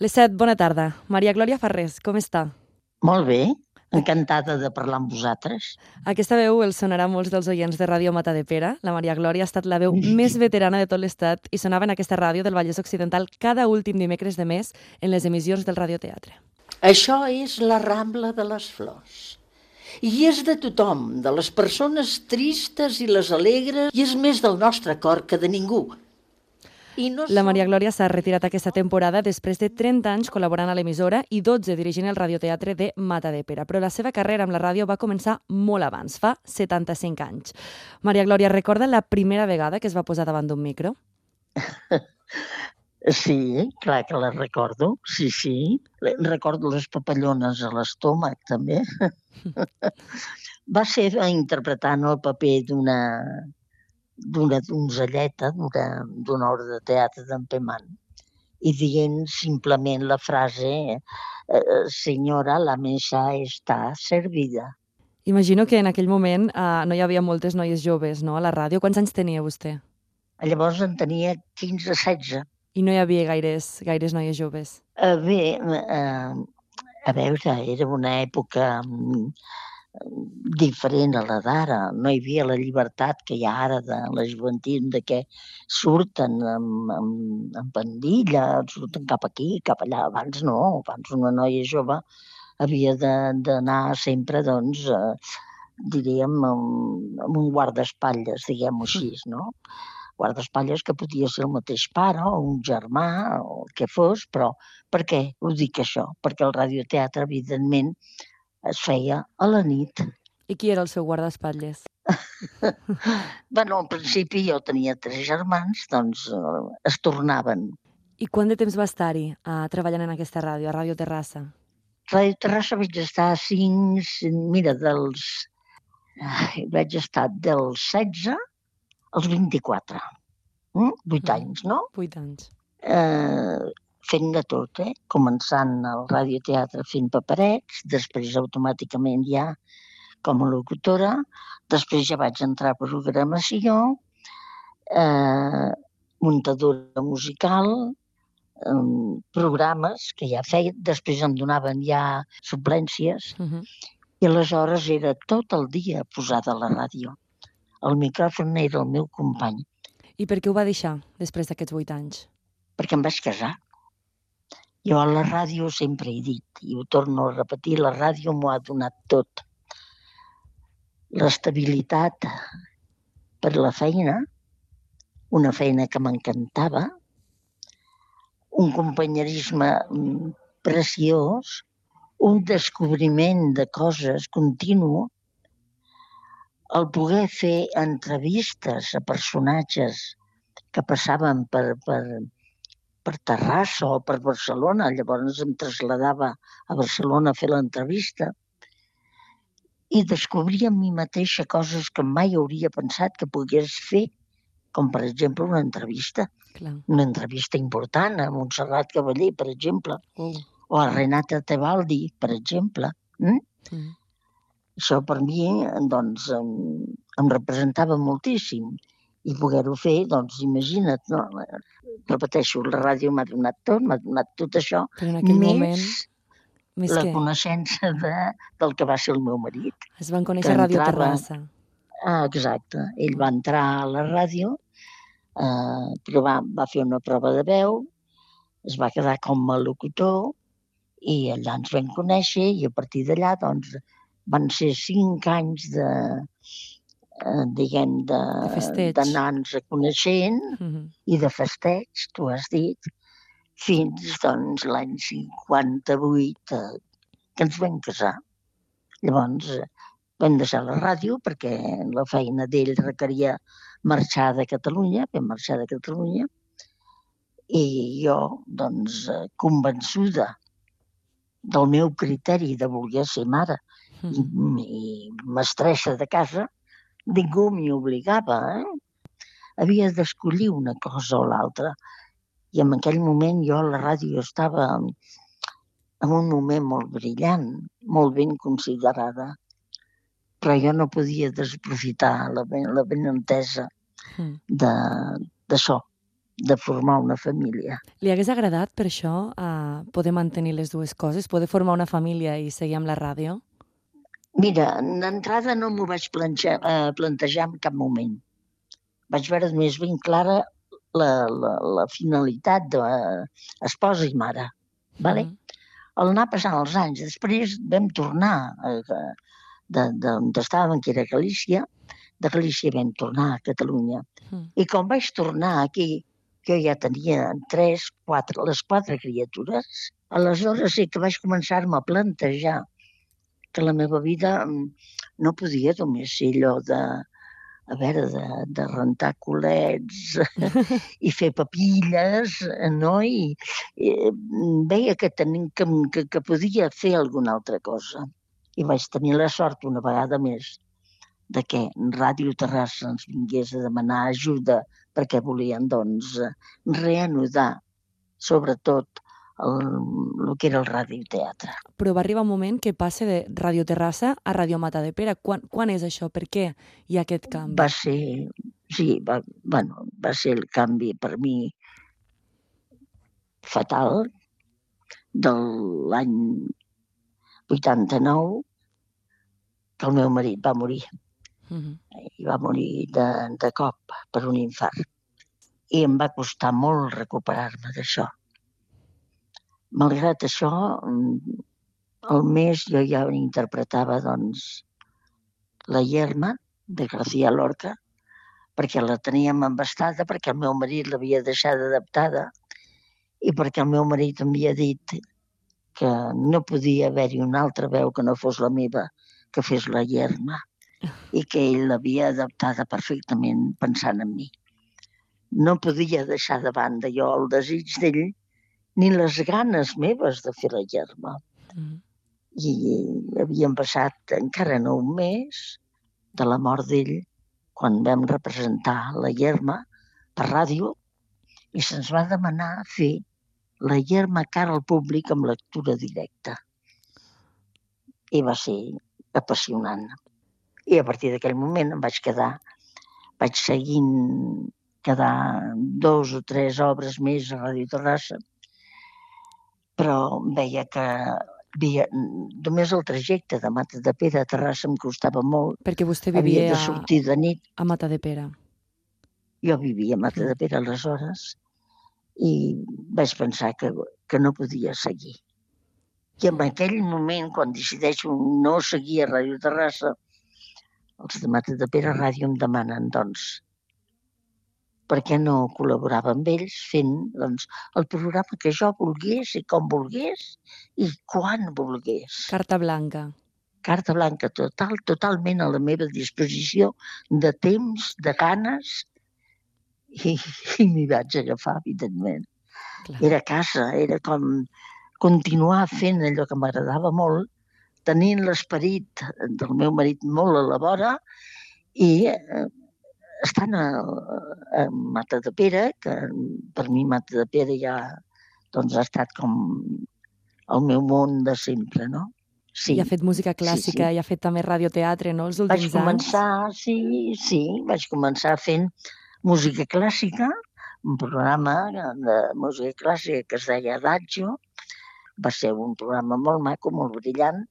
Les 7, bona tarda. Maria Glòria Farrés, com està? Molt bé, encantada de parlar amb vosaltres. Aquesta veu els sonarà a molts dels oients de Ràdio Matadepera. La Maria Glòria ha estat la veu més veterana de tot l'estat i sonava en aquesta ràdio del Vallès Occidental cada últim dimecres de mes en les emissions del radioteatre. Això és la Rambla de les Flors. I és de tothom, de les persones tristes i les alegres, i és més del nostre cor que de ningú. La Maria Glòria s'ha retirat aquesta temporada després de 30 anys col·laborant a l'emissora i 12 dirigint el radioteatre de Matadepera. Però la seva carrera amb la ràdio va començar molt abans, fa 75 anys. Maria Glòria, recorda la primera vegada que es va posar davant d'un micro? Sí, clar que la recordo, sí. Recordo les papallones a l'estómac, també. Va ser interpretant el paper d'una donzelleta d'una obra de teatre d'en Pemán i dient simplement la frase «Senyora, la mesa està servida». Imagino que en aquell moment no hi havia moltes noies joves, no?, a la ràdio. Quants anys tenia vostè? Llavors en tenia 15-16. I no hi havia gaires noies joves? Bé, a veure, era una època diferent a la d'ara. No hi havia la llibertat que hi ha ara de la joventut, de què surten amb pandilla, surten cap aquí, cap allà. Abans no, abans una noia jove havia d'anar sempre, doncs, diríem, amb un guardaespatlles, diguem-ho així, no? Guardaespatlles que podia ser el mateix pare o un germà o el que fos, però per què ho dic això? Perquè el radioteatre, evidentment, es feia a la nit. I qui era el seu guardaespatlles? Bueno, al principi jo tenia 3 germans, doncs es tornaven. I quant de temps va estar-hi treballant en aquesta ràdio, a Ràdio Terrassa? Ràdio Terrassa vaig estar vaig estar dels 16 als 24. 8 anys, no? 8 anys. Fent de tot, començant al radioteatre fent paperets, després automàticament ja com a locutora, després ja vaig entrar a programació, muntadora musical, programes que ja feia, després em donaven ja suplències, i aleshores era tot el dia posada a la ràdio. El micròfon era el meu company. I per què ho va deixar després d'aquests 8 anys? Perquè em vaig casar. Jo a la ràdio sempre he dit, i ho torno a repetir, la ràdio m'ho ha donat tot. L'estabilitat per la feina, una feina que m'encantava, un companyerisme preciós, un descobriment de coses continu, el poder fer entrevistes a personatges que passaven per Terrassa o per Barcelona, llavors em traslladava a Barcelona a fer l'entrevista i descobrir en mi mateixa coses que mai hauria pensat que pogués fer, com per exemple una entrevista. Clar. Una entrevista important a Montserrat Cavaller, per exemple, o a Renata Tebaldi, per exemple. Això per mi, doncs, em representava moltíssim. I poder-ho fer, doncs, imagina't, no? Repeteixo, la ràdio m'ha donat tot això, però en aquell moment, més la què? coneixença del que va ser el meu marit. Es van conèixer a Ràdio Terrassa. Exacte. Ell va entrar a la ràdio, però va fer una prova de veu, es va quedar com a locutor i allà ens vam conèixer i a partir d'allà, doncs, van ser 5 anys d'anar-nos coneixent i de festeig, tu has dit, fins doncs, l'any 58 que ens vam casar. Llavors vam deixar la ràdio perquè la feina d'ell requeria marxar de Catalunya, vam marxar de Catalunya i jo, doncs, convençuda del meu criteri de voler ser mare i mestressa de casa, ningú m'hi obligava, Havia d'escollir una cosa o l'altra. I en aquell moment jo a la ràdio estava en un moment molt brillant, molt ben considerada, però jo no podia desaprofitar la benentesa d'això, de formar una família. Li hagués agradat per això poder mantenir les dues coses, poder formar una família i seguir amb la ràdio? Mira, d'entrada no m'ho vaig plantejar en cap moment. Vaig veure més ben clara la finalitat d'esposa i mare. Vale? Al anar passant els anys, després vam tornar d'on estàvem, que era Galícia. De Galícia vam tornar a Catalunya. I quan vaig tornar aquí, jo ja tenia les 4 criatures. Aleshores sí que vaig començar-me a plantejar que la meva vida no podia només ser allò de rentar culets i fer papilles, no? I veia que podia fer alguna altra cosa. I vaig tenir la sort una vegada més de que Ràdio Terrassa ens vingués a demanar ajuda perquè volien, doncs, reanudar, sobretot, el que era el radioteatre. Però va arribar un moment que passa de Ràdio Terrassa a Ràdio Matadepera. Quan és això? Per què hi ha aquest canvi? Va ser el canvi per mi fatal de l'any 89, que el meu marit va morir. I va morir de cop per un infart. I em va costar molt recuperar-me d'això. Malgrat això, al mes jo ja interpretava, doncs, la Yerma, de García Lorca, perquè la teníem embastada, perquè el meu marit l'havia deixada adaptada i perquè el meu marit em havia dit que no podia haver-hi una altra veu que no fos la meva, que fes la Yerma, i que ell l'havia adaptada perfectament pensant en mi. No podia deixar de banda jo el desig d'ell ni les ganes meves de fer la Yerma. I havíem passat encara no un mes de la mort d'ell quan vam representar la Yerma per ràdio i se'ns va demanar fer la Yerma cara al públic amb lectura directa. I va ser apassionant. I a partir d'aquell moment em vaig quedar 2 o 3 obres més a Ràdio Terrassa, però veia que només el trajecte de Matadepera a Terrassa em costava molt. Perquè vostè vivia havia de sortir de nit. A Matadepera. Jo vivia a Matadepera aleshores i vaig pensar que no podia seguir. I en aquell moment, quan decideixo no seguir a Ràdio Terrassa, els de Matadepera Ràdio em demanen, doncs, per què no col·laborava amb ells fent, doncs, el programa que jo volgués i com volgués i quan volgués. Carta blanca. Carta blanca total, totalment a la meva disposició de temps, de ganes, i m'hi vaig agafar, evidentment. Clar. Era a casa, era com continuar fent allò que m'agradava molt, tenint l'esperit del meu marit molt a la vora i estant a Matadepera, que per mi Matadepera ja doncs, ha estat com el meu món de sempre, no? Sí. I ha fet música clàssica, sí. I ha fet també radioteatre, no?, els últims anys. Vaig començar fent música clàssica, un programa de música clàssica que es deia Adagio. Va ser un programa molt maco, molt brillant,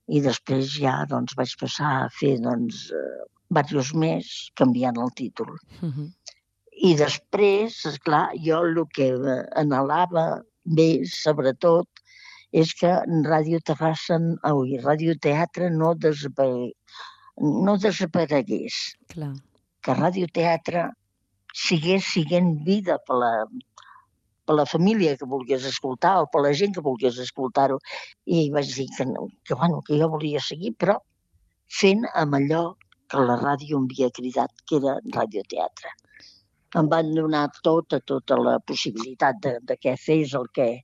i després ja doncs, vaig passar a fer diversos més, canviant el títol. I després, esclar, jo el que anhelava més, sobretot, és que Ràdio Terrassa, Ràdio Teatre no desaparegués. Clar. Que Ràdio Teatre sigués sent vida per la família que volgués escoltar o per la gent que volgués escoltar-ho. I vaig dir que jo volia seguir, però fent amb allò que la ràdio em havia cridat, que era radioteatre. Em van donar tota la possibilitat de que fes el que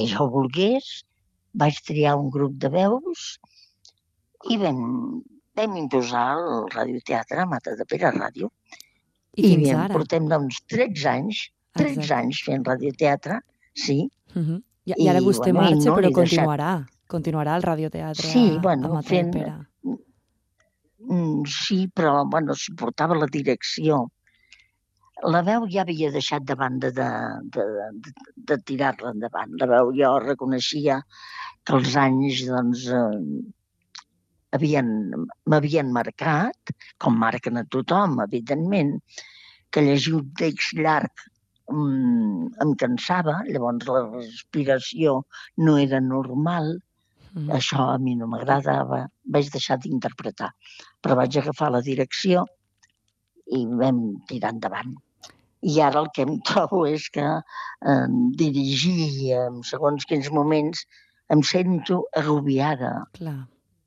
jo volgués. Vaig triar un grup de veus i vam imposar el radioteatre a Matadepera Ràdio. I fins ara? Portem 13 anys fent radioteatre, sí. I ara vostè marxa, però continuarà el radioteatre a Matadepera. Sí, però si portava la direcció La veu ja havia deixat de banda de tirar-la endavant. La veu jo reconeixia que els anys doncs, m'havien marcat, com marquen a tothom, evidentment, que llegir un text llarg em cansava, llavors la respiració no era normal. Això a mi no m'agradava, vaig deixar d'interpretar, però vaig agafar la direcció i vam tirar endavant. I ara el que em trobo és que dirigir en segons quins moments em sento agobiada,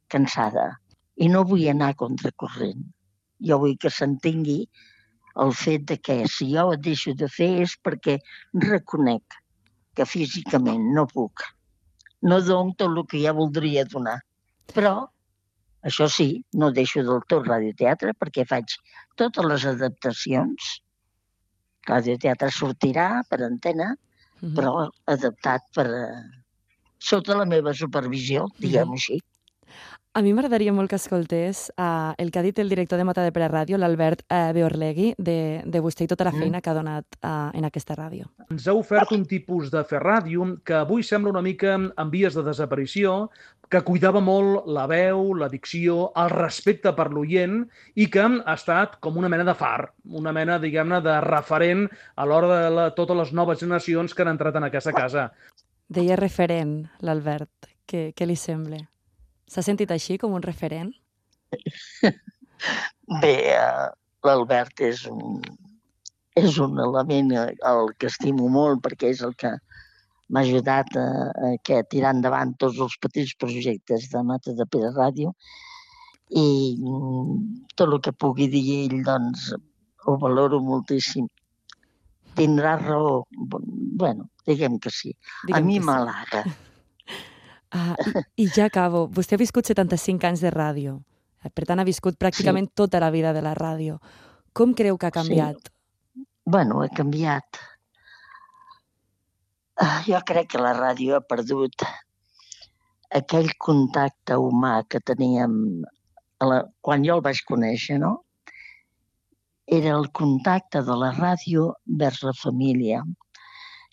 cansada, i no vull anar a contracorrent. Jo vull que s'entengui el fet de que si jo ho deixo de fer és perquè reconec que físicament no puc. No dono tot el que ja voldria donar. Però, això sí, no deixo del tot radioteatre perquè faig totes les adaptacions. Radioteatre sortirà per antena, però adaptat sota la meva supervisió, diguem-ho així. A mi m'agradaria molt que escoltés el que ha dit el director de Matadepera Ràdio, l'Albert Beorlegui, de vostè i tota la feina que ha donat en aquesta ràdio. Ens ha ofert un tipus de fer ràdio que avui sembla una mica en vies de desaparició, que cuidava molt la veu, la dicció, el respecte per l'oient i que ha estat com una mena de far, una mena, diguem-ne, de referent a l'hora de totes les noves generacions que han entrat en aquesta casa. Deia referent, l'Albert. Què li sembla? S'ha sentit així, com un referent? Bé, l'Albert és un element al que estimo molt perquè és el que m'ha ajudat a tirar endavant tots els petits projectes de Matadepera Ràdio i tot el que pugui dir ell, doncs, ho valoro moltíssim. Tindrà raó. Bueno, diguem que sí. A mi m'halaga. I ja acabo. Vostè ha viscut 75 anys de ràdio. Per tant, ha viscut pràcticament tota la vida de la ràdio. Com creu que ha canviat? Sí. Bueno, ha canviat. Jo crec que la ràdio ha perdut aquell contacte humà que teníem quan jo el vaig conèixer, no? Era el contacte de la ràdio vers la família.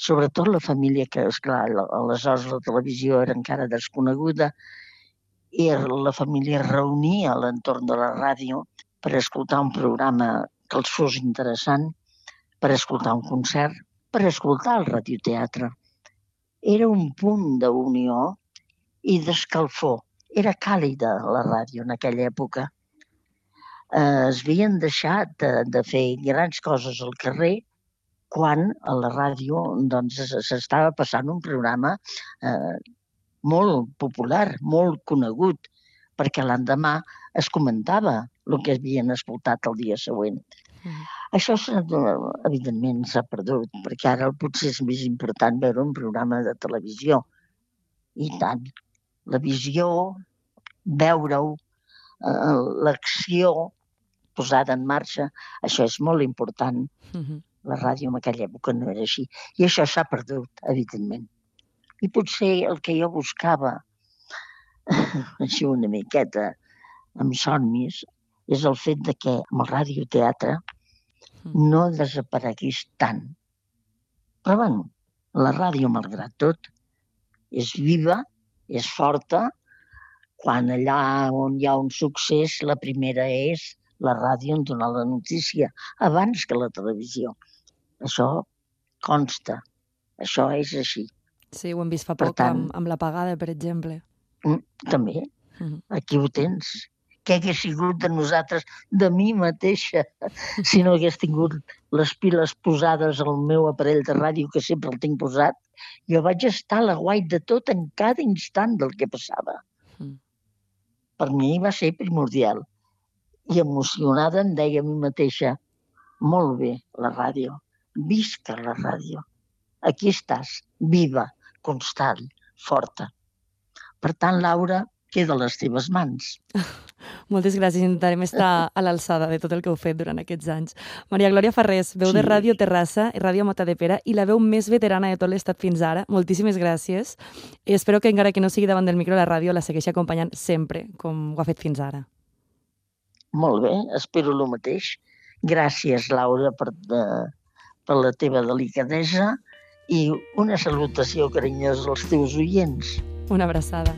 Sobretot la família que, esclar, aleshores la televisió era encara desconeguda, i la família es reunia a l'entorn de la ràdio per escoltar un programa que els fos interessant, per escoltar un concert, per escoltar el radioteatre. Era un punt d'unió i d'escalfor. Era càlida la ràdio en aquella època. Es havien deixat de fer grans coses al carrer quan a la ràdio s'estava passant un programa molt popular, molt conegut, perquè l'endemà es comentava el que havien escoltat el dia següent. Això, evidentment, s'ha perdut, perquè ara potser és més important veure un programa de televisió. I tant. La visió, veure-ho, l'acció posada en marxa, això és molt important. La ràdio en aquella època no era així. I això s'ha perdut, evidentment. I potser el que jo buscava, així una miqueta, amb somnis, és el fet de que amb el radioteatre no desaparegués tant. Però, bueno, la ràdio, malgrat tot, és viva, és forta. Quan allà on hi ha un succés, la primera és la ràdio en donar la notícia, abans que la televisió. Això consta. Això és així. Sí, ho hem vist fa poc amb l'apagada, per exemple. També. Aquí ho tens. Què hagués sigut de nosaltres, de mi mateixa, si no hagués tingut les piles posades al meu aparell de ràdio, que sempre el tinc posat? Jo vaig estar a l'aguait de tot en cada instant del que passava. Per mi va ser primordial. I emocionada em deia a mi mateixa, molt bé, la ràdio, visca la ràdio. Aquí estàs, viva, constant, forta. Per tant, Laura, queda a les teves mans. Moltes gràcies. Intentarem estar a l'alçada de tot el que heu fet durant aquests anys. Maria Glòria Farrés, veu de Ràdio Terrassa i Ràdio Matadepera i la veu més veterana de tot l'estat fins ara. Moltíssimes gràcies. I espero que encara que no sigui davant del micro, la ràdio la segueixi acompanyant sempre, com ho ha fet fins ara. Molt bé, espero el mateix, Gràcies, Laura, per la teva delicadesa i una salutació carinyosa als teus oients. Una abraçada.